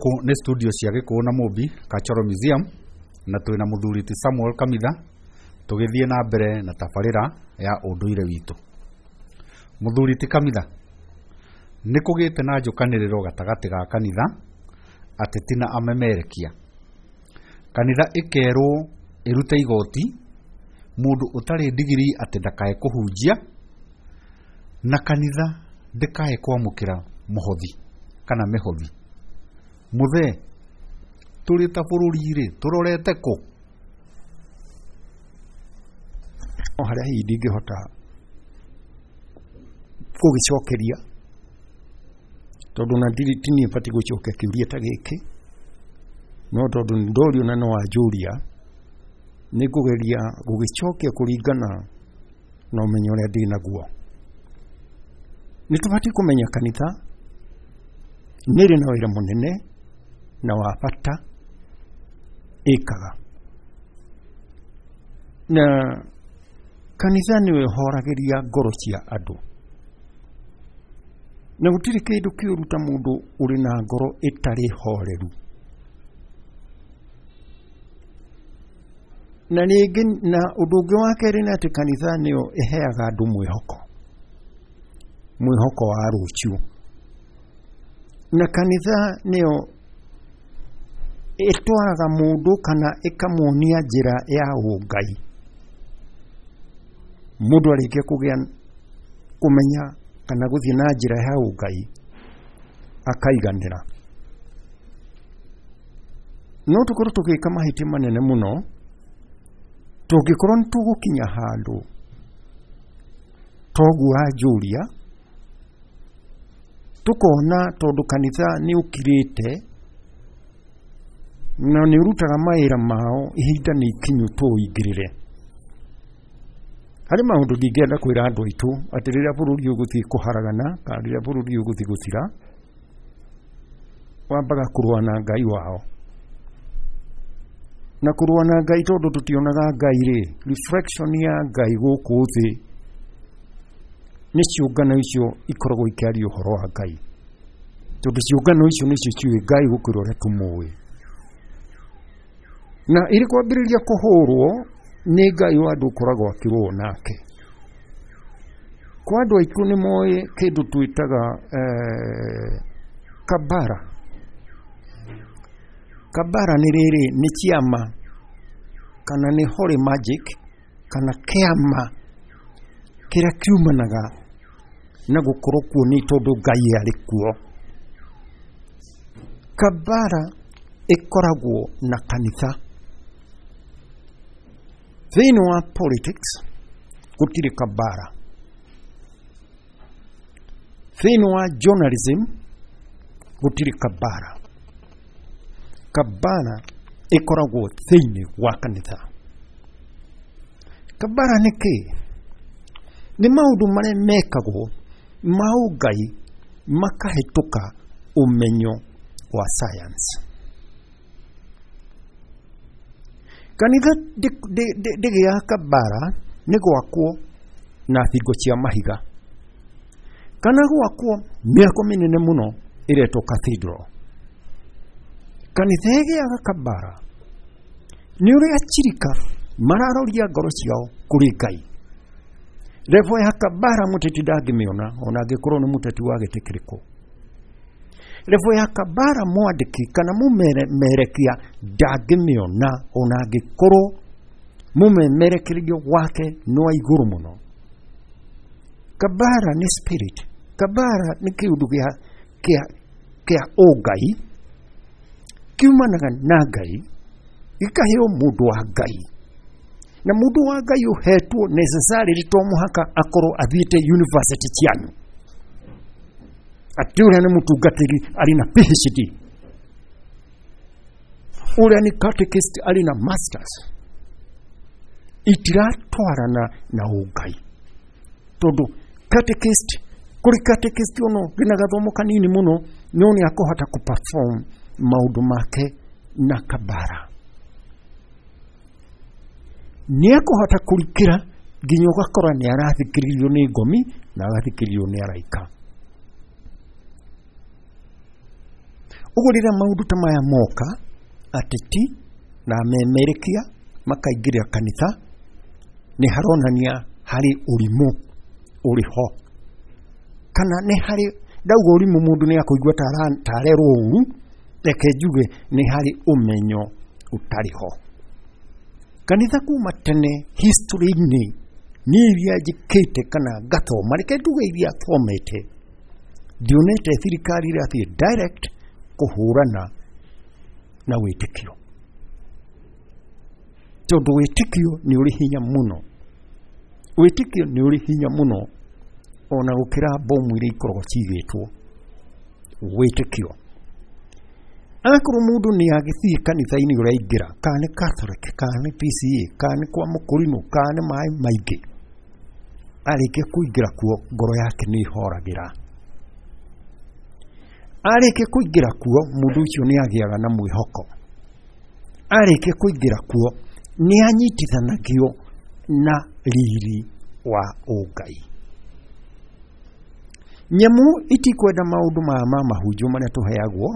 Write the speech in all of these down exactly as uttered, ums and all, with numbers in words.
Gũkũ nĩ studio cia Gĩkũyũ na Mũmbi Cultural Museum, na twĩna mũthuri ti Samuel Kamitha tũgĩthiĩ na mbere na tabarĩra ya ũndũire witũ. Mũthuri ti Kamitha, nĩ kũgĩte na njũkanĩrĩro gatagatĩ ga kanitha, ateti na amemerekia. Kanitha ĩkerwo ĩrute igoti mũndũ ũtarĩ ndigirii atĩ ndakae kũhunjia, na kanitha ndĩkae kwamũkĩra mũhothi kana mĩhothi. Mũthee, tũrĩ ta bũrũri rĩ, tũrorete kũ? No harĩa hihi ndingĩhota gũgĩcokeria tondũ na ndirĩ ti niĩ batiĩ gũcokia kĩũria ta gĩkĩ, no tondũ nĩ ndorio na nĩ wanjũria, nĩ ngũgeria gũgĩcokia kũringana na ũmenyo ũrĩa ndĩ naguo. Nĩ tũbatiĩ kũmenya kanitha nĩ ĩrĩ na wĩra mũnene na wa bata ĩkaga, na kanitha nĩyo ĩhoragĩria ngoro cia andũ, na gũtirĩ kĩndũ kĩũru ta mũndũ ũrĩ na ngoro ĩtarĩ horeru. Na rĩngĩ, na ũndũ ũngĩ wa kerĩ nĩ atĩ kanitha nĩyo ĩheaga andũ mwĩhoko, mwĩhoko wa rũciũ, na kanitha nĩyo ĩtwaraga mũndũ kana ĩkamuonia njĩra ya ũngai. Mũndũ arĩkia kũgĩa kũmenya kana gũthiĩ na njĩra ya ũngai akaiganĩra. No tũkorwo tũgĩka mahĩtia manene mũno tũngĩkorwo nĩ tũgũkinya handũ toguo wanjũria, tũkona tondũ kanitha nĩ ũkirĩte na nĩ ũrutaga mawĩra mao, ihinda nĩ ikinyu tũũingĩrĩre. Harĩ maũndũ ndingĩenda kwĩra andũ aitũ atĩ rĩrĩa bũrũri ũgũthiĩ kũharagana kana rĩrĩa bũrũri ũgũthiĩ gũthira, wambaga kũrũa na Ngai wao. Na kũrũa na Ngai tondũ tũtionaga Ngai rĩ, reflection ya Ngai gũkũ thĩ nĩ ciũngano icio ikoragwo ikĩaria ũhoro wa Ngai, tondũ ciũngano icio nĩcio ciũĩ Ngai gũkĩra ũrĩa tũmũĩ. Na ĩrĩ kwambĩrĩria kũhũrwo nĩ Ngai wa andũ ũkoragwo akĩrũo nake. Kwa andũ aitũ nĩ moĩ kĩndũ twĩtaga eh, kabara. Kabara nĩ rĩrĩ, nĩ kĩama kana nĩ holy magic kana kĩama kĩrĩa kiumanaga na gũkorwo kuo nĩ tondũ Ngai arĩ kuo. Kabara ĩkoragwo na kanitha. Thĩinĩ wa politics gũtirĩ kabara. Thĩinĩ wa journalism gũtirĩ kabara. Kabara ĩkoragwo thĩinĩ wa kanitha. Kabara nĩ kĩĩ? Nĩ maũndũ marĩa mekagwo ma ũngai makahĩtũka ũmenyo wa science. Kanitha ndĩgĩaga kabara nĩ gwakwo na thingo cia mahiga kana gwakwo mĩako mĩnene mũno ĩretwo cathedral. Kanitha ĩgĩaga kabara nĩ ũrĩa achirika mararoria ngoro ciao kũrĩ Ngai. Level ya kabara mũteti ndangĩmĩona ona angĩkorwo nĩ mũteti wa gĩtĩ kĩrĩkũ. Level ya kabara mwandĩki kana mũmerekia ndangĩmĩona ona angĩkorwo mũmemerekerio wake nĩ wa igũrũ mũno. Kabara nĩ spirit. Kabara nĩ kĩũndũ gĩa kĩa kĩa ũngai kiumanaga na Ngai gĩkaheo mũndũ wa Ngai, na mũndũ wa Ngai ũhetwo necessarily to mũhaka akorwo athiĩte university cianyu, atĩ ũrĩa nĩ mũtungatĩri arĩ na P H D, ũrĩa nĩ catechist arĩ na masters. Itiratwarana na ũngai, tondũ catechist kũrĩ catechist ono wĩna gathomo kanini mũno no nĩ akũhota kũ-perform maũndũ make na kabara, nĩ akũhota kũrikĩra nginya ũgakora nĩ arathikĩrĩrio nĩ ngomi na agathikĩrĩrio nĩ araika. Ũguo rĩrĩa maũndũ ta maya moka, ateti na amemerekia makaingĩrĩra kanitha, nĩ haronania harĩ ũrimũ ũrĩ ho, kana nĩ harĩ, ndauga ũrimũ mũndũ nĩ akũigua ta arerwo ũru, reke njuge nĩ harĩ ũmenyo ũtarĩ ho. Kanitha kuma tene history-inĩ niĩ iria njĩkĩte kana ngathoma, reke njuge iria thomete, ndionete thirikari ĩrathiĩ direct kũhũrana na wĩtĩkio, tondũ wĩtĩkio nĩ ũrĩ hinya mũno, wĩtĩkio nĩ ũrĩ hinya mũno ona gũkĩra bomu iria ikoragwo ciigĩtwo. Wĩtĩkio, akorwo mũndũ nĩ agĩthiĩ kanitha-inĩ ũraingĩra, kana nĩ Catholic, kana nĩ P C A, kana nĩ kwa mũkũrinũ, kana nĩ maĩ maingĩ, arĩkia kũingĩra kuo ngoro yake nĩ ĩhoragĩra. Arĩkia kũingĩra kuo mũndũ ũcio nĩ agĩaga na mwĩhoko. Arĩkia kũingĩra kuo nĩ anyitithanagio na riri wa ũngai. Nyamũ itikwenda maũndũ maya ma mahunjio marĩa tũheagwo,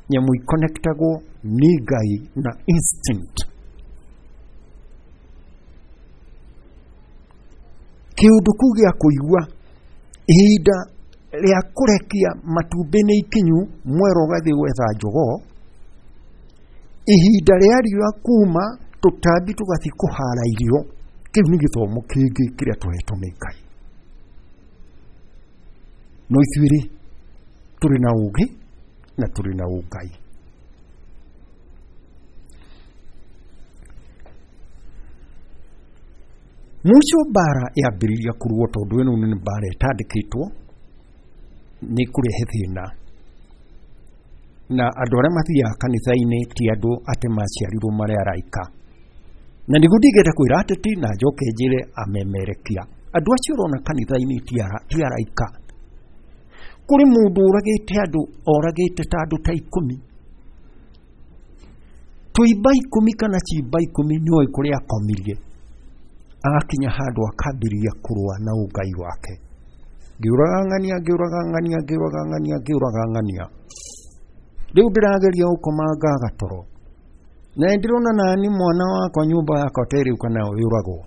nyamũ ikonektagwo nĩ Ngai na instinct. Kĩũndũ kĩu gĩa kũigua ihinda rĩa kũrekia matumbĩ nĩ ikinyu, mwero ũgathiĩ gwetha njogoo, ihinda rĩa riũa kuma tũtambi tũgathiĩ kũhara irio, kĩu nĩ gĩthomo kĩngĩ kĩrĩa tũhetwo nĩ Ngai. No ithuĩ rĩ, tũrĩ na ũũgĩ na tũrĩ na ũngai. Mũico mbara yambĩrĩria kũrũo, tondũ ĩno nĩ mbara ĩtandĩkĩtwo, nĩ kũrehe thĩna. Na andũ arĩa mathiaga kanitha-inĩ ti andũ atĩ maciarirwo marĩ araika. Na nĩguo ndingĩenda kwĩra ateti na njoke njĩre amemerekia, andũ acio ũrona kanitha-inĩ ti araika. Kũrĩ mũndũ ũragĩte andũ, oragĩte ta andũ ta ikũmi, tũimba ikũmi kana cimba ikũmi, nĩoĩ kũrĩa akomirie, agakinya handũ akambĩrĩria kũrũa na ũngai wake. Ngĩũraga ng'ania, ngĩũraga ng'ania, ngĩũraga ng'ania, ngĩũraga ng'ania, rĩu ndĩrageria gũkoma ngaga toro, na ndĩrona nani mwana wakwa nyũmba yakwa ta rĩu kana yũragwo.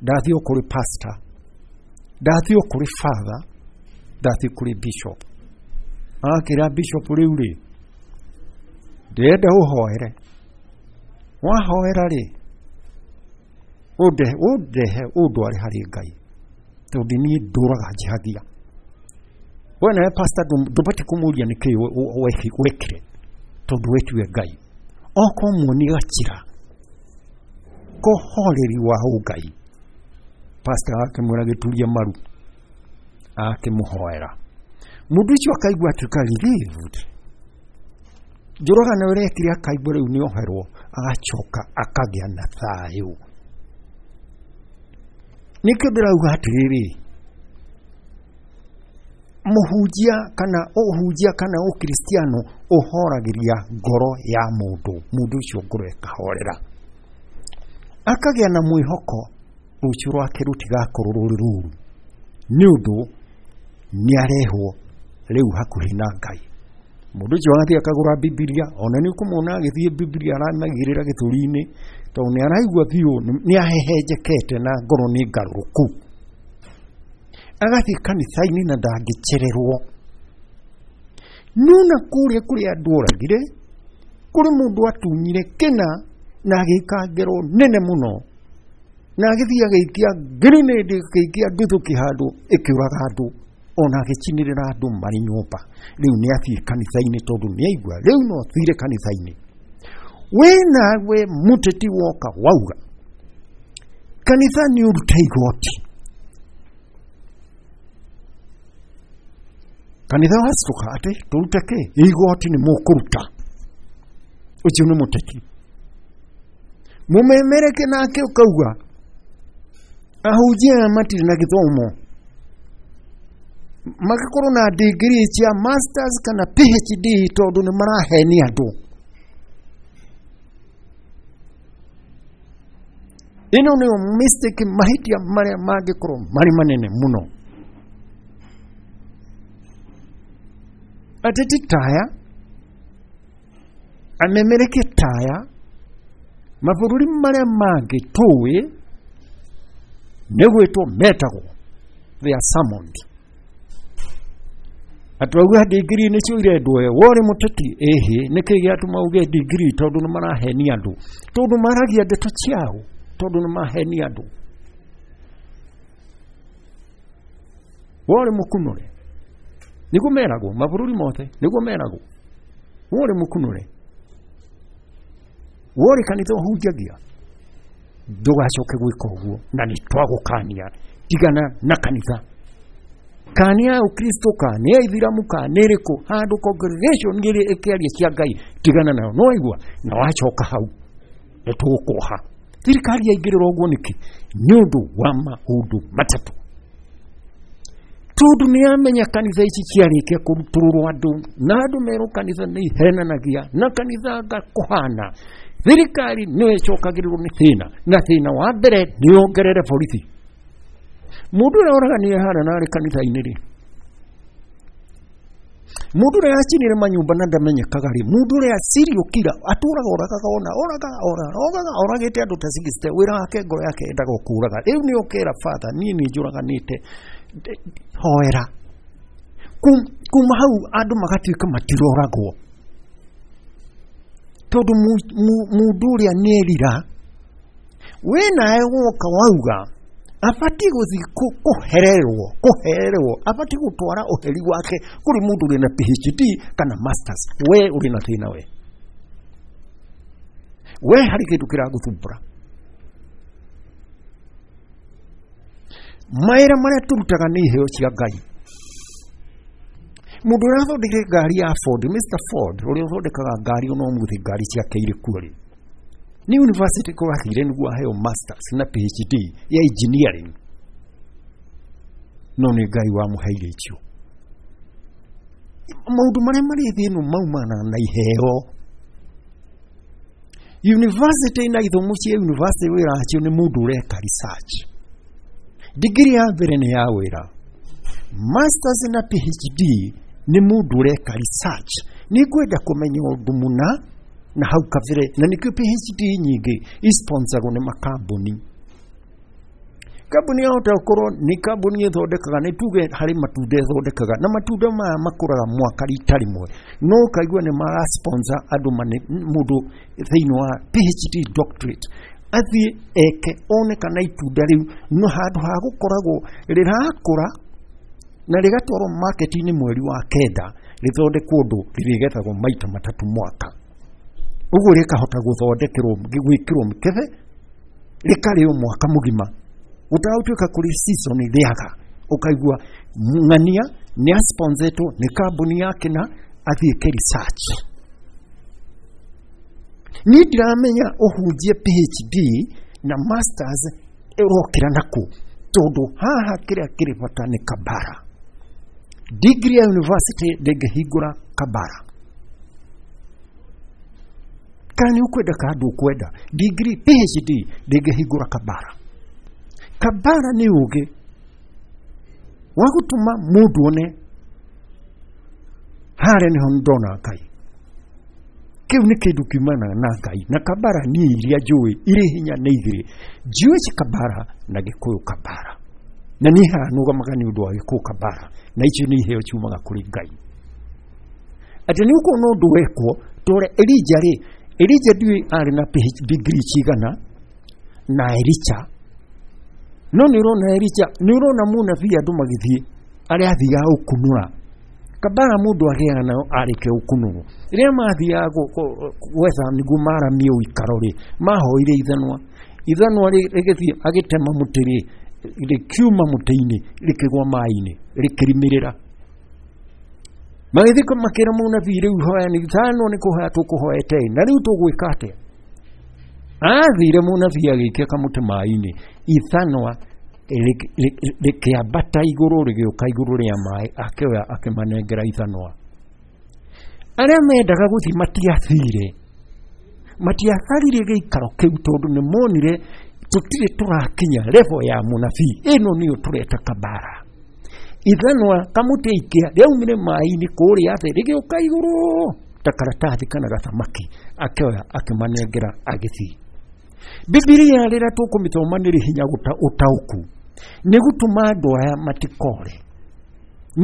Ndathiĩ o kũrĩ pastor, ndathiĩ o kũrĩ father, ndathiĩ kũrĩ bishop. Akĩra bishop, rĩu rĩ, ndĩrenda ũhoere, wahoera rĩ, ũndehe ũndehe ũndware harĩ Ngai, tondũ niĩ ndũraga njihagia. We nawe pastor ndũbatiĩ kũmũria nĩkĩĩ wekire, tondũ we tiwe Ngai. Okorwo muoni gacira kohoreri wa ũngai, pastor akĩmwĩra gĩturie maru, akĩmũhoera. Mũndũ ũcio akaigua atuĩka relieved. Njũragano ĩrĩa ekire akaigua rĩu nĩ oherwo, agacoka akagĩa na thayũ. Nĩkĩo ndĩrauga atĩrĩrĩ, mũhunjia kana ũhunjia kana ũkristiano ũhoragĩria ngoro ya mũndũ, mũndũ ũcio ngoro ĩkahorera, akagĩa na mwĩhoko rũciũ rwake rũtigakorwo rũrĩ rũru, nĩ ũndũ nĩ arehwo rĩu hakuhĩ na Ngai. Mũndũ ũcio agathiĩ akagũra Bibilia, ona nĩ ũkũmwona agĩthiĩ Bibilia aramĩigĩrĩra gĩthũri-inĩ, tondũ nĩ araigua biũ nĩ ahehenjekete na ngoro nĩ ngarũrũku. Agathiĩ kanitha-inĩ na ndangĩcererwo. Nona kũrĩa kũrĩa andũ oragire, kũrĩ mũndũ atunyire kĩna na agĩka ngero nene mũno, na agĩthiĩ agĩikia grenade, agĩikia nduthũki handũ ĩkĩũraga andũ, ona agĩcinĩrĩra andũ marĩ nyũmba. Rĩu nĩ athiĩ kanitha-inĩ tondũ nĩ aigua rĩu no athire kanitha-inĩ. We nawe mũteti woka wauga kanitha nĩ ũrute igoti, kanitha wacituka atĩ tũrute kĩ igoti nĩ mũkũruta, ũcio nĩ mũteti. Mũmemereke nake ũkauga ahunjia aya matirĩ na gĩthomo, magakorwo na degree cia masters kana P H D, tondũ nĩ marahenia andũ. Ĩno nĩyo mistake, mahĩtia marĩa mangĩkorwo marĩ manene mũno. Ateti taya Amemerekie taya mabũrũri marĩa mangĩ tũĩ nĩ gwĩtwo metagwo, they are summoned. Atwauga degree nĩcio irendwo, we worĩ mũteti ĩhĩ, nĩkĩ gĩatũma uge degree? Tondũ nĩ marahenia andũ, tondũ maragia ndeto ciao, tondũ nĩ mahenia andũ. Worĩ mũkunũre, nĩguo meragwo mabũrũri mothe, nĩguo meragwo worĩ mũkunũre, worĩ kanitha ũhunjagia, ndũgacoke gwĩka ũguo, na nĩ twagũkania, tigana na kanitha. Kana ya Ukristo, kana ya Ithiramu, kana ĩrĩkũ, handũ congregation ĩrĩ ĩkĩaria cia Ngai, tigana nayo. No waigua na wacoka hau nĩ tũgũkũoha. Thirikari yaingĩrĩra ũguo nĩkĩ? Nĩ ũndũ wa maũndũ matatũ. Tondũ nĩ yamenya kanitha ici ciarĩkia kũrutũrũrwo andũ, na andũ merwo kanitha nĩ ihenanagia, na kanitha anga kũhana, thirikari nĩyo ĩcokagĩrĩrwo nĩ thĩna, na thĩna wa mbere nĩ yongerere borithi. Mũndũ ũrĩa oraganire harĩa na arĩ kanitha-inĩ rĩ, mũndũ ũrĩa acinire manyũmba na ndamenyekaga rĩ, mũndũ ũrĩa serial killer atũraga oragaga ona oraga oraga oragĩte andũ ta sixty, wĩra wake ngoro yake endaga kũraga. Rĩu nĩ ũkera father, niĩ nĩ njũraganĩte, hoera. Kuma hau andũ magatuĩka matiroragwo, tondũ mũndũ ũrĩa nĩerira, we nawe woka wauga abatiĩ gũthiĩ kũhererwo, kũhererwo, abatiĩ gũtwara ũheri wake kũrĩ mũndũ ũrĩ na P H D kana masters. We ũrĩ na thĩna, we we harĩ kĩndũ kĩragũthumbũra. Mawĩra marĩa tũrutaga nĩ iheo cia Ngai. Mũndũ ũrĩa athondekire ngari ya Ford, Mister Ford, ũrĩa ũthondekaga ngari ona ũmũthĩ ngari ciake irĩ kuo rĩ, nĩ university kwathire nĩguo aheo masters na P H D ya engineering, no nĩ Ngai wamũheire icio. Maũndũ marĩa marĩ thĩ ĩno maumana na iheo. University na ithomo cia university wĩra wacio nĩ mũndũ ũreka research. Degree ya mbere nĩ ya wĩra, masters na P H D nĩ mũndũ ũreka research. Nĩ ngwenda kũmenya ũndũ mũna na hau kabere, na nĩkĩo P H D nyingĩ isponsoragwo nĩ makambuni. Kambuni yahota gũkorwo nĩ kambuni ĩthondekaga, nĩ tuge harĩ matunda ĩthondekaga, na matunda maya makũraga mwaka rita rĩmwe, no ũkaigua nĩ mara sponsor andũ mane, mũndũ thĩinĩ wa P H D doctorate athiĩ eke one kana itunda rĩu no handũ ha gũkoragwo rĩrakũra na rĩgatwarwo market-inĩ mweri wa kenda, rĩthondekwo ũndũ rĩrĩgethagwo maita matatũ mwaka, ũguo rĩkahota gũthondekerwo gwĩkĩrwo mĩkebe rĩkarĩo mwaka mũgima, gũtagũtuĩka kũrĩ season rĩaga. Ũkaigua ng'ania nĩ asponsetwo nĩ kambuni yake na athiĩ eke research. Niĩ ndiramenya ũhunjie P H D na masters ĩrokĩra nakũ, tondũ haha kĩrĩa kĩrĩ bata nĩ kabara. Degree ya university ndĩngĩhingũra kabara. Kana nĩ ũkwenda kana ndũkwenda, degree P H D ndĩngĩhingũra kabara. Kabara nĩ ũgĩ wa gũtũma mũndũ one harĩa nĩho ndona Ngai. Kĩu nĩ kĩndũ kiumanaga na Ngai, na kabara niĩ iria njũĩ irĩ hinya nĩ igĩrĩ, Jewish kabara na Gĩkũyũ kabara, na niĩ haha nũgamaga nĩ ũndũ wa Gĩkũyũ kabara, na icio nĩ iheo ciumaga kũrĩ Ngai. Atĩ nĩ ũkuona ũndũ wekwo tore Elijah rĩ, Elijah ndiũĩ arĩ na P H D degree cigana na Elisha, no nĩ ũrona Elisha, nĩ ũrona mũnabii andũ magĩthiĩ arĩa athiaga gũkunũra kabara, mũndũ agĩaga nayo arĩkia gũkunũrwo. Rĩrĩa mathiaga gwetha nĩguo maramie ũikaro rĩ, mahoire ithanwa, ithanwa rĩgĩthiĩ agĩtema mũtĩ rĩ, rĩkiuma mũtĩ-inĩ rĩkĩgwa maĩ-inĩ rĩkĩrimĩrĩra. Magĩthiĩ makĩra mũnabii, rĩu hoya nĩ ithanwa nĩ kũhoya tũkũhoete, na rĩu tũgwĩka atĩa? Athire mũnabii agĩikia kamũtĩ maĩ-inĩ, ithanwa rĩkĩambata igũrũ rĩgĩũka igũrũ rĩa maĩ, akĩoya akĩmanengera ithanwa. Arĩa mendaga gũthiĩ matiathire, matiatharire gĩikaro kĩu, tondũ nĩ monire tũtirĩ tũrakinya level ya mũnabii. Ĩno nĩyo tũreta kabara. Ithanwa kamũtĩ aikia rĩaumire maĩ-inĩ kũrĩa thĩ rĩgĩũka igũrũ Ta karatathi kana gathamaki akĩoya akĩmanengera agĩthiĩ. Bibilia rĩrĩa tũkũmĩthoma nĩrĩ hinya ũtaũku nĩ gũtũma andũ aya matikore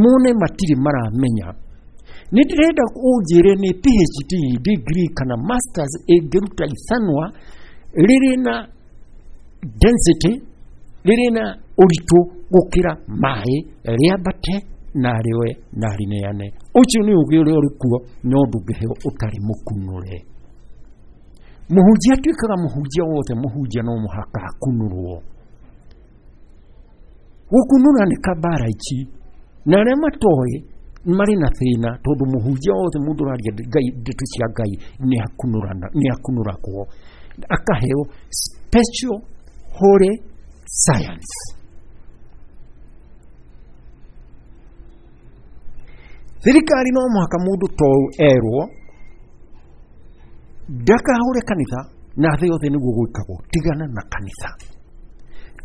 mone matirĩ maramenya. Nĩ ndĩrenda ũnjĩre nĩ P H D degree kana masters ĩngĩruta ithanwa rĩrĩ na density rĩrĩ na ũritũ gũkĩra maĩ rĩambate na rĩoe na rĩneane. Ũcio nĩ ũgĩ ũrĩa ũrĩ kuo no ndũngĩheo ũtarĩ mũkunũre. Mũhunjia atuĩkaga mũhunjia wothe, mũhunjia no mũhaka akunũrwo. Gũkunũra nĩ kabara ici na arĩa matoĩ marĩ na thĩna tondũ mũhunjia wothe mũndũ ũraria Ngai ndeto cia Ngai nĩ akunũrana nĩ akunũragwo akaheo special holy science. Thirikari no mũhaka mũndũ to erwo ndakahũre kanitha na thĩ yothe nĩguo gwĩkagwo, tigana na kanitha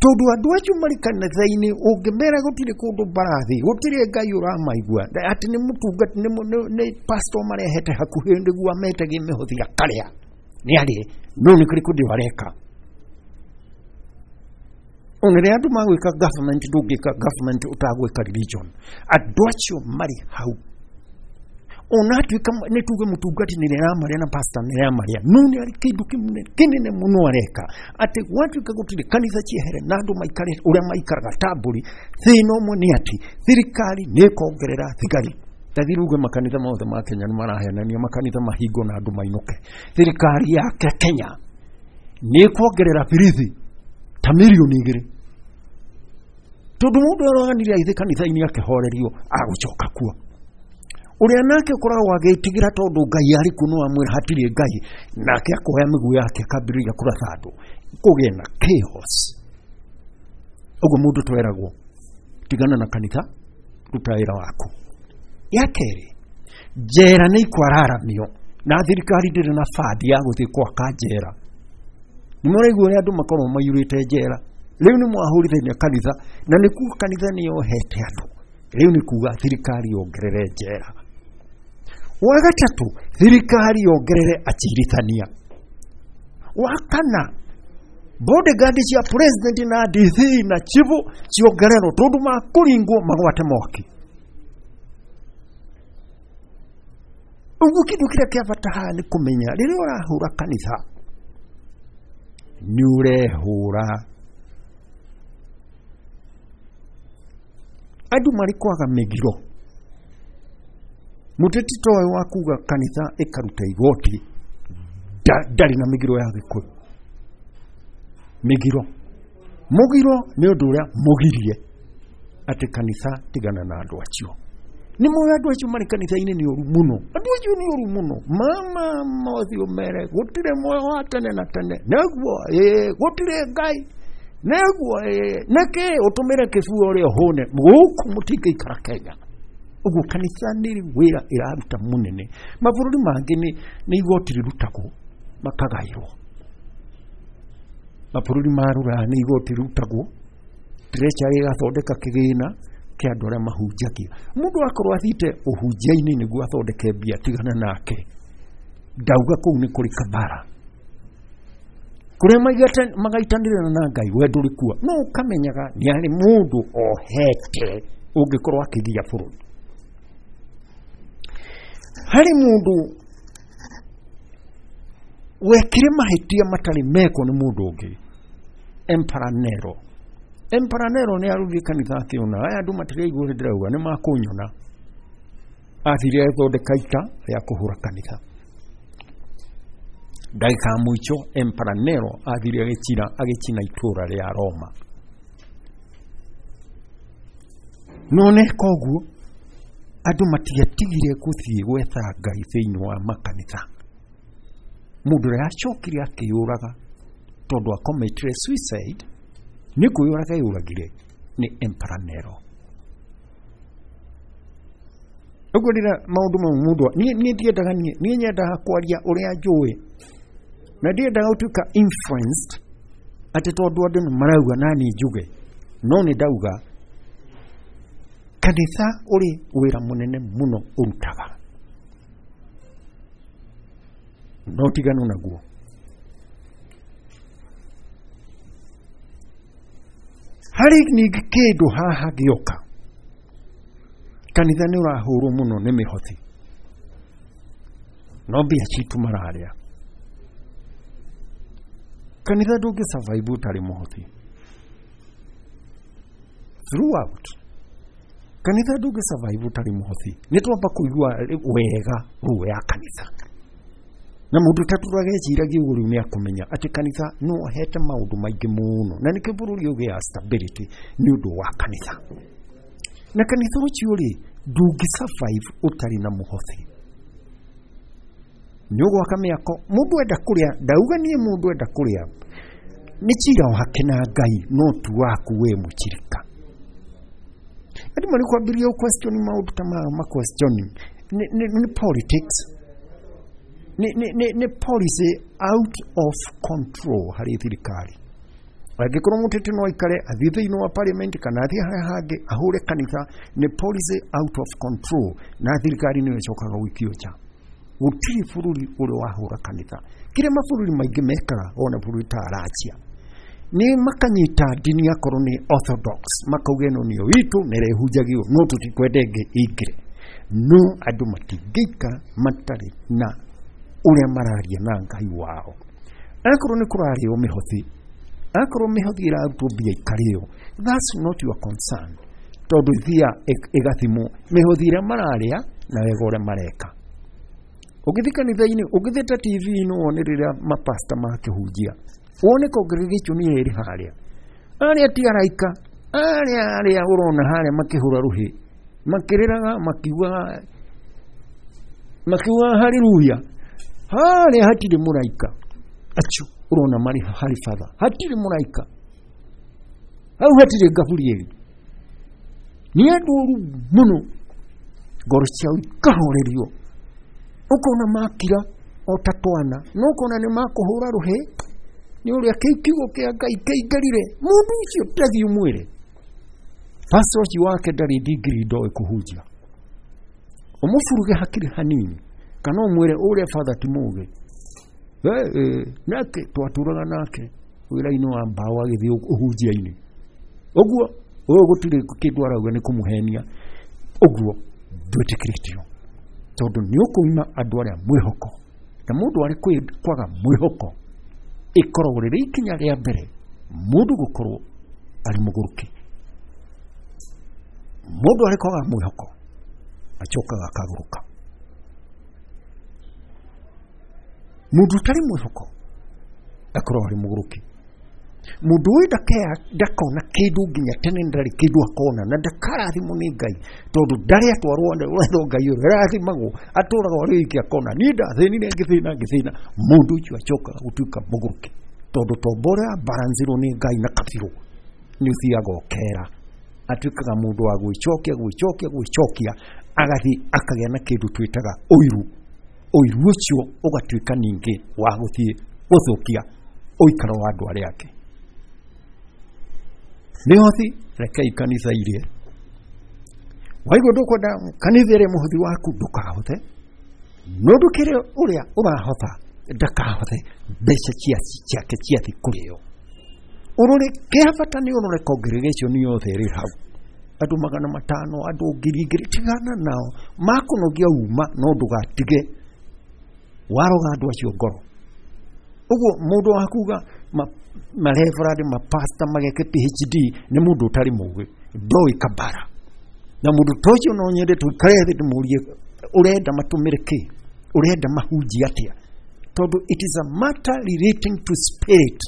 tondũ andũ acio marĩ kanitha-inĩ ũngĩmera gũtirĩ kũndũ mbarathi gũtirĩ Ngai ũramaigua atĩ nĩ mũtungati nĩ pastor marehete hakuhĩ nĩguo ametegie mĩhothi akarĩa nĩ arĩe no nĩ kũrĩ kũndũ areka. Ona rĩrĩa andũ magwĩka government ndũngĩka government ũtagwĩka religion. Andũ acio marĩ hau ona atuĩka nĩ tuge mũtungati nĩ rĩramarĩa na pastor nĩ rĩramarĩa no nĩ arĩ kĩndũ kĩnene mũno areka atĩ gwatuĩka gũtirĩ kanitha ciehere na andũ maikare ũrĩa maikaraga tambũri. Thĩna ũmwe nĩ atĩ thirikari nĩ ĩkongerera thigari. Tathi ruge makanitha mothe ma Kenya nĩ marahenania makanitha mahingo na andũ mainũke. Thirikari ya Kenya nĩ ĩkuongerera birithi ta mirioni igĩrĩ tondũ mũndũ aroganire agĩthiĩ kanitha-inĩ akĩhorerio agũcoka kuo. Ũrĩa nake ũkoragwo agĩtigĩra tondũ Ngai arĩ kuo no amwĩra hatirĩ Ngai nake akoya mĩguĩ yake akambĩrĩria kũratha andũ kũgĩe na chaos. Ũguo mũndũ tweragwo tigana na kanitha ruta wĩra waku. Ya kerĩ, njera nĩ ikwararamio na thirikari ndĩrĩ na bandi ya gũthiĩ gwaka njera. Nĩ mũraigua ũrĩa andũ makorwo maiyũrĩte njera. Rĩu nĩ mwahũrithania kanitha na nĩ kuga kanitha nĩ yohete andũ. Rĩu nĩ kuga thirikari yongerere njera. Wa gatatũ, thirikari yongerere acirithania. Wa kana, bodyguard cia president na D C na chifu ciongererwo tondũ makũringwo magwate mwaki. Ũguo kĩndũ kĩrĩa kĩa bata haha nĩ kũmenya rĩrĩa ũrahũra kanitha nĩ ũrehũra. Andũ marĩ kwaga mĩgiro. Mũteti ta ũyũ wa kuga kanitha ĩkaruta igoti ndarĩ na mĩgiro ya Gĩkũyũ. Mĩgiro mũgiro nĩ ũndũ ũrĩa mũgirie atĩ kanitha tigana na andũ acio. Nĩ moĩ andũ acio marĩ kanitha-inĩ nĩ ũru mũno. Andũ acio nĩ ũru mũno. Mama mothiũ mere gũtirĩ muoyo wa tene na tene nĩguo ĩĩ gũtirĩ Ngai nĩguo ĩĩ nĩkĩ ũtũmĩre kĩbuo ũrĩa ũhũne gũkũ mũtingĩikara Kenya. Ũguo kanitha nĩ wĩra ĩraruta mũnene. Mabũrũri mangĩ nĩ nĩ igoti rĩrutagwo makagaĩrwo. Mabũrũri ma rũraya nĩ igoti rĩrutagwo treasury ĩgathondeka kĩgĩna kĩa andũ arĩa mahunjagia. Mũndũ akorwo athiĩte ũhunjia-inĩ nĩguo athondeke mbia tigana nake. Ndauga kũu nĩ kũrĩ kabara kũrĩa magaitanĩrĩra na Ngai we ndũrĩ kuo no ũkamenyaga nĩ harĩ mũndũ ohete ũngĩkorwo akĩgia bũrũri. Harĩ mũndũ wekire mahĩtia matarĩ mekwo nĩ mũndũ ũngĩ, Emperor Nero. Emperor Nero nĩ arutire kanitha akĩona aya andũ matiraigua ũrĩa ndĩrauga nĩ makũnyona. Athire agĩthondeka ita rĩa kũhũra kanitha. Ndagĩka ya mũico Emperor Nero athire agĩcina agĩcina itũũra rĩa Roma. No neka ũguo andũ matiatigire gũthiĩ gwetha Ngai thĩinĩ wa makanitha. Mũndũ ũrĩa acokire akĩyũraga tondũ akometire suicide nĩ kwĩyũraga eyũragire nĩ Emperor Nero. Ũguo rĩrĩa maũndũ mau mũndũ niĩ niĩ ndiendaga niĩ niĩ nyendaga kwaria ũrĩa njũĩ na ndiendaga gũtuĩka influenced atĩ tondũ andũ nĩ marauga na niĩ njuge no nĩ ndauga kanitha ũrĩ wĩra mũnene mũno ũrutaga. No ũtiganu naguo. Harĩ ningĩ kĩndũ haha gĩoka, kanitha nĩ ũrahũrwo mũno nĩ mĩhothi, no mbia citũ mararĩa. Kanitha ndũngĩ survive ũtarĩ mũhothi throughout. Kanitha ndũngĩ survive ũtarĩ mũhothi. Nĩ twamba kũigua wega ruo ya kanitha, na mũndũ ũtatũraga eciragia ũguo rĩu nĩ akũmenya atĩ kanitha no ahete maũndũ maingĩ mũno, na nĩkĩo bũrũri ũgĩa stability nĩ ũndũ wa kanitha. Na kanitha ũcio rĩ, ndũngĩ survive ũtarĩ na mũhothi. Nĩ ũgwaka mĩako, mũndũ enda kũrĩa, ndauga niĩ mũndũ enda kũrĩa nĩ cira wake na Ngai, no tu waku we mũchirika. Andũ marĩ kwambĩrĩria question maũndũ ta maya, ma question nĩ nĩ politics, nĩ nĩ nĩ policy out of control harĩ thirikari. Angĩkorwo mũteti no aikare athiĩ thĩinĩ wa parliament kana athiĩ harĩa hangĩ ahũre kanitha, nĩ policy out of control, na thirikari nĩyo ĩcokaga gũikio nja. Gũtirĩ bũrũri ũrĩ wahũra kanitha. Kĩrĩa mabũrũri maingĩ mekaga, ona bũrũri ta Russia, nĩ makanyita ndini akorwo nĩ orthodox, makauga ĩno nĩyo itũ na ĩrĩa ĩhunjagio, no tũtikwenda ĩngĩ ĩingĩre. No andũ matingĩikara matarĩ na ũrĩa mararia na Ngai wao. Akorwo nĩ kũrarĩo mĩhothi, akorwo mĩhothi ĩrarutwo mbia ikarĩo, that's not your concern, tondũ ithia ĩgathimwo mĩhothi ĩrĩa mararĩa na wega ũrĩa mareka. Ũngĩthiĩ kanitha-inĩ, ũngĩthiĩ ta T V-inĩ wone rĩrĩa mapasta makĩhunjia, wone congregation ĩrĩa ĩrĩ harĩa, arĩa ti araika, arĩa arĩa ũrona harĩa makĩhũra rũhĩ, makĩrĩraga, makiugaga makiugaga haleluya, harĩa hatirĩ mũraika. Acio ũrona marĩ harĩ batha, hatirĩ mũraika hau, hatirĩ Gaburieli. Nĩ andũ oru mũno, ngoro ciao ikahorerio, ũkona makira o ta twana, no ũkona nĩ makũhũra rũhĩ nĩ ũrĩa kĩu kiugo kĩa Ngai kĩingĩrire. Mũndũ ũcio ndathiĩ ũmwĩre pastor ũcio wake ndarĩ degree, ndoĩ kũhunjia, ũmũburuge hakiri hanini, kana ũmwĩre ũrĩa father ti mũgĩ. Nake twatũraga nake wĩra-inĩ wa mbaũ agĩthiĩ ũhunjia-inĩ, ũguo ũyũ gũtirĩ kĩndũ arauga nĩ kũmũhenia, ũguo ndwĩtĩkĩrĩtio, tondũ nĩ ũkũima andũ arĩa mwĩhoko. Na mũndũ arĩ kwaga mwĩhoko ĩkoragwo rĩrĩ ikinya rĩa mbere mũndũ gũkorwo arĩ mũgũrũki. Mũndũ arĩ kwaga mwĩhoko acokaga akagũrũka. Mũndũ ũtarĩ mwĩhoko akoragwo arĩ mũgũrũki. Mũndũ ũyũ ndakona kĩndũ nginya tene, ndarĩ kĩndũ akona, na ndakarathimwo nĩ Ngai, tondũ ndarĩ atwarwo wetho Ngai ũrĩa arathimagwo, atũraga arĩ wiki akona. Niĩ ndathĩnire ngĩthĩna ngĩthĩna. Mũndũ ũcio acokaga gũtuĩka mũgũrũki, tondũ tombo ũrĩa balanzirwo nĩ Ngai na kabirũ nĩ ũthiaga ũkera, atuĩkaga mũndũ wa gwĩcokia gwĩcokia gwĩcokia, agathiĩ akagĩa na kĩndũ twĩtaga ũiru. Ũiru ũcio ũgatuĩka ningĩ wa gũthiĩ gũthũkia ũikaro wa andũ arĩa angĩ. Mĩhothi rekei kanitha irie. Waigua ndũkwenda kanitha ĩrĩa mũhothi waku, ndũkahothe, no ndũkĩre ũrĩa ũrahotha ndakahothe mbeca ciake ciathi kũrĩo. Ũrore kĩa bata nĩ ũrore congregation yothe ĩrĩ hau, andũ magana matano, andũ ngiri igĩrĩ, tigana nao makũnogia uma, no ndũgatige waroga andũ acio ngoro. Ũguo mũndũ wa kuga mareverend mapasta mageke P H D nĩ mũndũ ũtarĩ mũgĩ, ndoĩ kabara. Na mũndũ ta ũcio no nyende tũikare thĩ ndĩmũrie ũrenda matũmĩre kĩ, ũrenda mahunjie atĩa, tondũ it is a matter relating to spirit.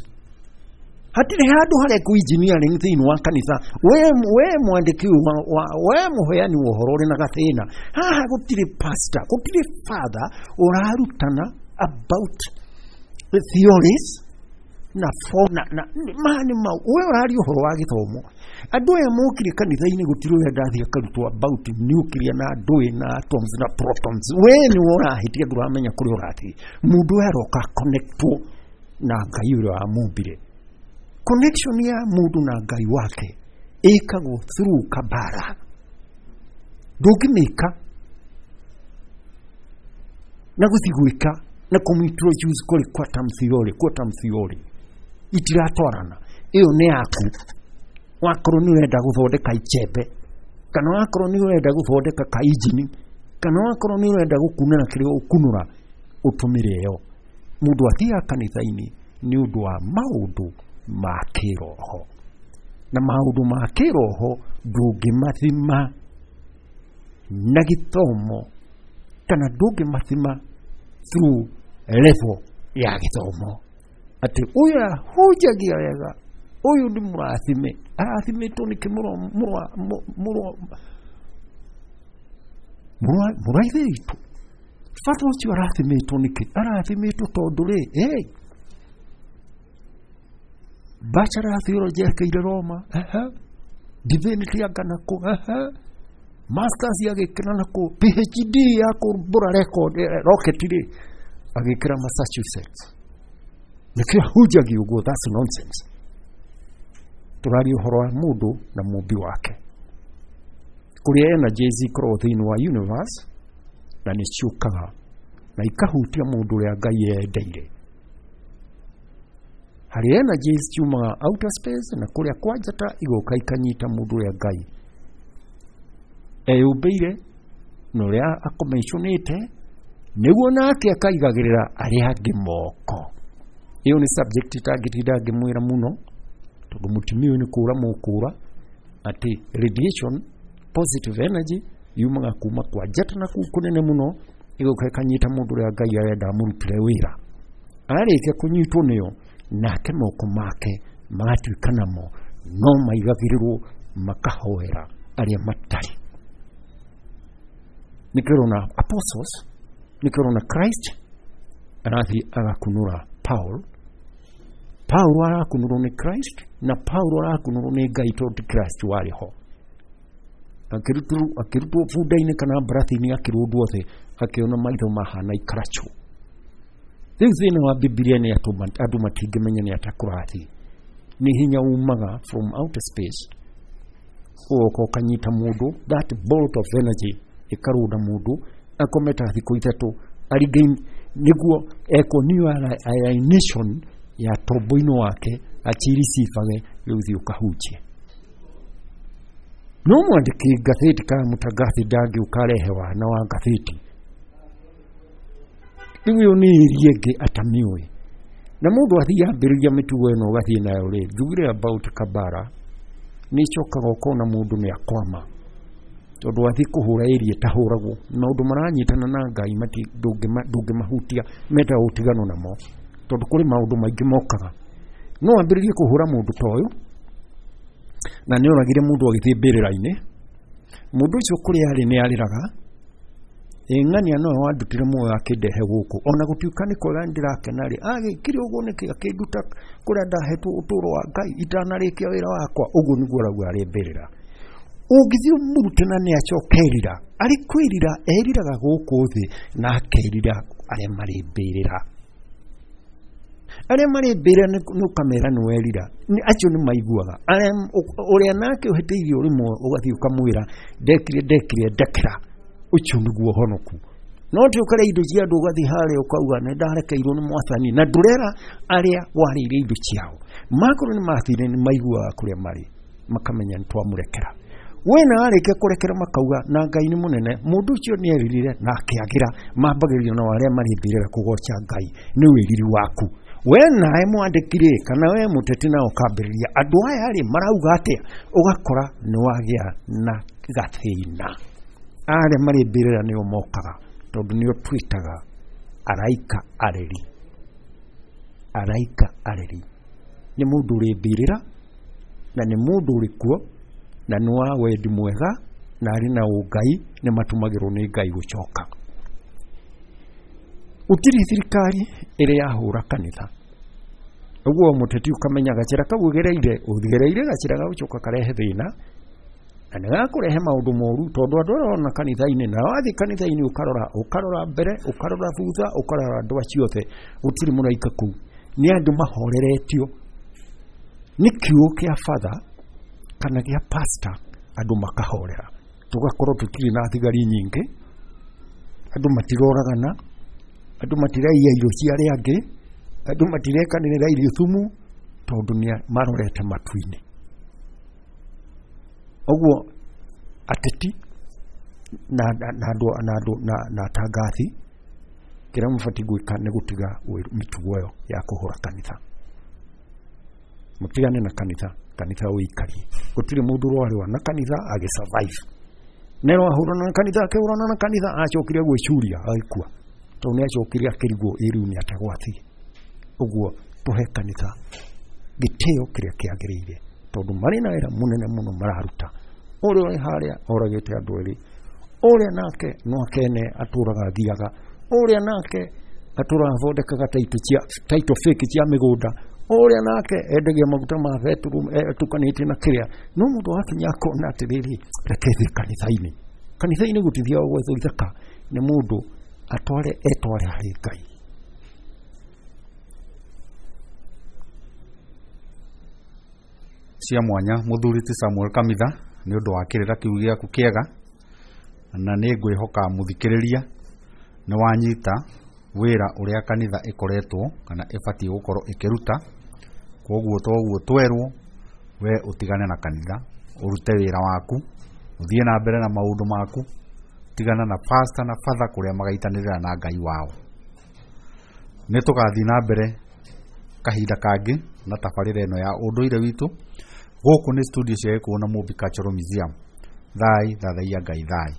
Hatirĩ handũ harĩa kũ engineering thĩinĩ wa kanitha. We we mwandĩki wa we mũheani wa ũhoro ũrĩ na gathĩna haha, gũtirĩ pastor, gũtirĩ father ũrarutana about the theories na form na na mani mau. We ũraria ũhoro wa gĩthomo, andũ aya mokire kanitha-inĩ gũtirĩ ũrĩa ndathiĩ akarutwo about nuclear na ndũĩ na atoms na protons. We nĩ ũrahĩtia, ndũramenya kũrĩa ũrathiĩ. Mũndũ ũyũ aroka connectwo na Ngai ũrĩa wamumbire. Connection ya mũndũ na Ngai wake ĩkagwo through kabara. Ndũngĩmĩka na gũthiĩ gwĩka Na kũmintroduce kũrĩ quantum theory, quantum theory itiratwarana. Ĩyo nĩ yaku. Wakorwo nĩ ũrenda gũthondeka icembe, kana wakorwo nĩ ũrenda gũthondeka ka injini, kana wakorwo nĩ ũrenda gũkunũra kĩrĩa ũkunũra, ũtũmĩre ĩyo. Mũndũ athiaga kanitha-inĩ nĩ ũndũ wa maũndũ ma kĩroho, na maũndũ ma kĩroho ndũngĩmathima na gĩthomo, kana ndũngĩmathima through level ya gĩthomo. Atĩ ũyũ ahunjagia wega, ũyũ nĩ mũrathime, arathimĩtwo nĩkĩ mũrũ mũrũ mũrũ wa ithe witũ? Bata ũcio arathimĩtwo nĩkĩ? Arathimĩtwo tondũ rĩ, hey, bachelor theology ekĩire Roma, ehe, divinity anga nakũ, ehe, masters agĩkĩra nakũ, P H D ya kũmbũra record rocket rĩ agĩkĩra Massachusetts. Nĩkĩo ahunjagia ũguo? That's nonsense. Tũraria ũhoro wa mũndũ na mũmbi wake, kũrĩa energies ikoragwo thĩinĩ wa universe na nĩ ciũkaga na ikahutia mũndũ ũrĩa Ngai endeire. Harĩ energies ciumaga outer space na kũrĩa kwa njata, igoka ikanyita mũndũ ũrĩa Ngai eyũmbĩire na ũrĩa akomiconĩte, nĩguo nake akaigagĩrĩra arĩa angĩ moko. Ĩyo nĩ subject itangĩtinda ngĩmwĩra mũno, tondũ mũtumia ũyũ nĩ kũra mũkũra atĩ radiation, positive energy yumaga kuma kwa njata na kuu kũnene mũno, ĩgoka ĩkanyita mũndũ ũrĩa Ngai arenda amũrutĩre wĩra. Arĩkia kũnyitwo nĩyo, nake moko make magatuĩka namo no maigagĩrĩrwo makahoera arĩa matarĩ. Nĩkĩo ũrona apostles, nĩkĩo ũrona Christ arathiĩ agakunũra Paul, Paul arakunũrwo nĩ Christ, na Paul arakunũrwo nĩ Ngai, tondũ ti Christ warĩ ho. Akĩrutwo bunda-inĩ kana mbarathi-inĩ, akĩrũndwo thĩ, akĩona maitho mahana ikaracũ. Rĩu thĩna wa Bibilia nĩ andũ matingĩmenya nĩ ata kũrathiĩ. Nĩ hinya umaga from outer space, ũgoka ũkanyita mũndũ, that bolt of energy ĩkarũnda mũndũ akome ta thikũ ithatũ arigain, nĩguo ekwo new ionization ya tombo-inĩ wake achirecivage. Rĩu thiĩ ũkahunjie. No mwandĩki ngathĩti kana mũtangathi ndangĩũka arehe wana wa ngathĩti. Rĩu ĩyo nĩ ĩria ĩngĩ atamiũĩ, na mũndũ athiĩ ambĩrĩria mĩtugo ĩno ũgathiĩ nayo rĩ, njugire about kabara nĩ icokaga ũkona mũndũ nĩ akwama, tondũ athiĩ kũhũra ĩria ĩtahũragwo. Maũndũ maranyitana na Ngai ndũngĩmahutia, mendaga ũtigano namo, tondũ kũrĩ maũndũ maingĩ mokaga. No ambĩrĩrie kũhũra mũndũ ta ũyũ, na nĩ oragire mũndũ agĩthiĩ mbĩrĩra-inĩ. Mũndũ ũcio kũrĩa arĩ nĩ arĩraga, ng'ania nowe wandutire muoyo akĩndehe gũkũ, ona gũtuĩka nĩ kwega nĩndĩrakena rĩ, agĩkire ũguo nĩkĩ akĩnduta kũrĩa ndahetwo ũtũũro wa Ngai itanarĩkia wĩra wakwa? Ũguo nĩguo arauga arĩ mbĩrĩra. Ũngĩthiĩ ũmũrute na nĩ acoka erira, arĩ kwĩrira eriraga gũkũ thĩ na akerira arĩa marĩ mbĩrĩra. Arĩa marĩ mbĩrĩra nĩ ũkamera nĩ werira, acio nĩ maiguaga. Ũrĩa nake ũhĩtĩirio rĩmwe ũgathiĩ ũkamwĩra ndekire ndekire ndekera, ũcio nĩguo ũhonoku. No ti ũkarĩa indo cia andũ, ũgathiĩ harĩa ũkauga nĩ ndarekeirwo nĩ mwathani, na ndũrera arĩa warĩire indo ciao. Makorwo nĩ mathire nĩ maiguaga kũrĩa marĩ, makamenya nĩ twamũrekera. We na warĩkia kũrekera makauga na Ngai nĩ mũnene, mũndũ ũcio nĩ eririre na akĩagĩra. Mambagĩrĩrio na arĩa marĩ mbĩrĩra kũgoca Ngai nĩ wĩriri waku. We nawe mwandĩki rĩ, kana we mũteti, na ũkambĩrĩria andũ aya rĩ marauga atĩa, ũgakora nĩ wagĩa na gathĩna. Arĩa marĩ mbĩrĩra nĩo mokaga, tondũ nĩo twĩtaga araika areri. Araika areri nĩ mũndũ ũrĩ mbĩrĩra na nĩ mũndũ ũrĩ kuo na nĩ wa wendi mwega na arĩ na ũngai, nĩ matumagĩrwo nĩ Ngai gũcoka. Gũtirĩ thirikari ĩrĩ yahũra kanitha ũguo. Mũteti ũkamenya gacĩra kau ũgereire, ũgereire gacĩra gagũcoka karehe thĩna na nĩ gakũrehe maũndũ moru, tondũ andũ arĩa ũrona kanitha-inĩ, na wathiĩ kanitha-inĩ ũkarora, ũkarora mbere, ũkarora thutha, ũkarora andũ acio othe, gũtirĩ mũraika kũu. Nĩ andũ mahoreretio nĩ kiugo kĩa father kana gĩa pastor, andũ makahorera, tũgakorwo tũtirĩ na thigari nyingĩ, andũ matiroragana, Andũ matiraiya irio cia arĩa angĩ, andũ matirekanĩrĩra irio thumu, tondũ nĩ marorete matu-inĩ. Ũguo ateti na na andũ na andũ na na atangathi, kĩrĩa mabatiĩ gwĩka nĩ gũtiga mĩtugo ĩyo ya kũhũra kanitha. Mũtigane na kanitha, kanitha ũikarie. Gũtirĩ mũndũ ũrarũa na kanitha agĩ survive. Nero ahũrana na kanitha, akĩhũrana na kanitha, acokire gwĩcuria agĩkua, tondũ nĩ acokire akĩrigwo ĩ rĩu nĩ atagwathiĩ. Ũguo tũhe kanitha gĩtĩo kĩrĩa kĩagĩrĩire, tondũ marĩ na wĩra mũnene mũno mararuta. Ũrĩa ũrĩ harĩa oragĩte andũ erĩ, ũrĩa nake no akene atũraga athiaga, ũrĩa nake atũraga athondekaga title cia title fake cia mĩgũnda, ũrĩa nake endagia maguta ma betũrũ atukanĩtie na kĩrĩa. No mũndũ wakinya akona atĩrĩrĩ, reke thiĩ kanitha-inĩ. Kanitha-inĩ gũtithiagwo gwethwo ithaka, nĩ mũndũ atware etware harĩ Ngai. Cia mwanya mũthuri ti Samuel Kamitha nĩ ũndũ wa kĩrĩra kĩu gĩaku kĩega, na nĩ ngwĩhoka mũthikĩrĩria nĩ wanyita wĩra ũrĩa kanitha ĩkoretwo kana ĩbatiĩ gũkorwo ĩkĩruta. Koguo toguo twerwo, we ũtigane na kanitha, ũrute wĩra waku, ũthiĩ na mbere na maũndũ maku, tigana na pastor na father kũrĩa magaitanĩrĩra na Ngai wao. Nĩ tũgathiĩ na mbere kahinda kangĩ na tabarĩra ĩno ya ũndũire witũ. Gũkũ nĩ studio cia Gĩkũyũ na Mũmbi Cultural Museum. Thai, thathaiya Ngai thai.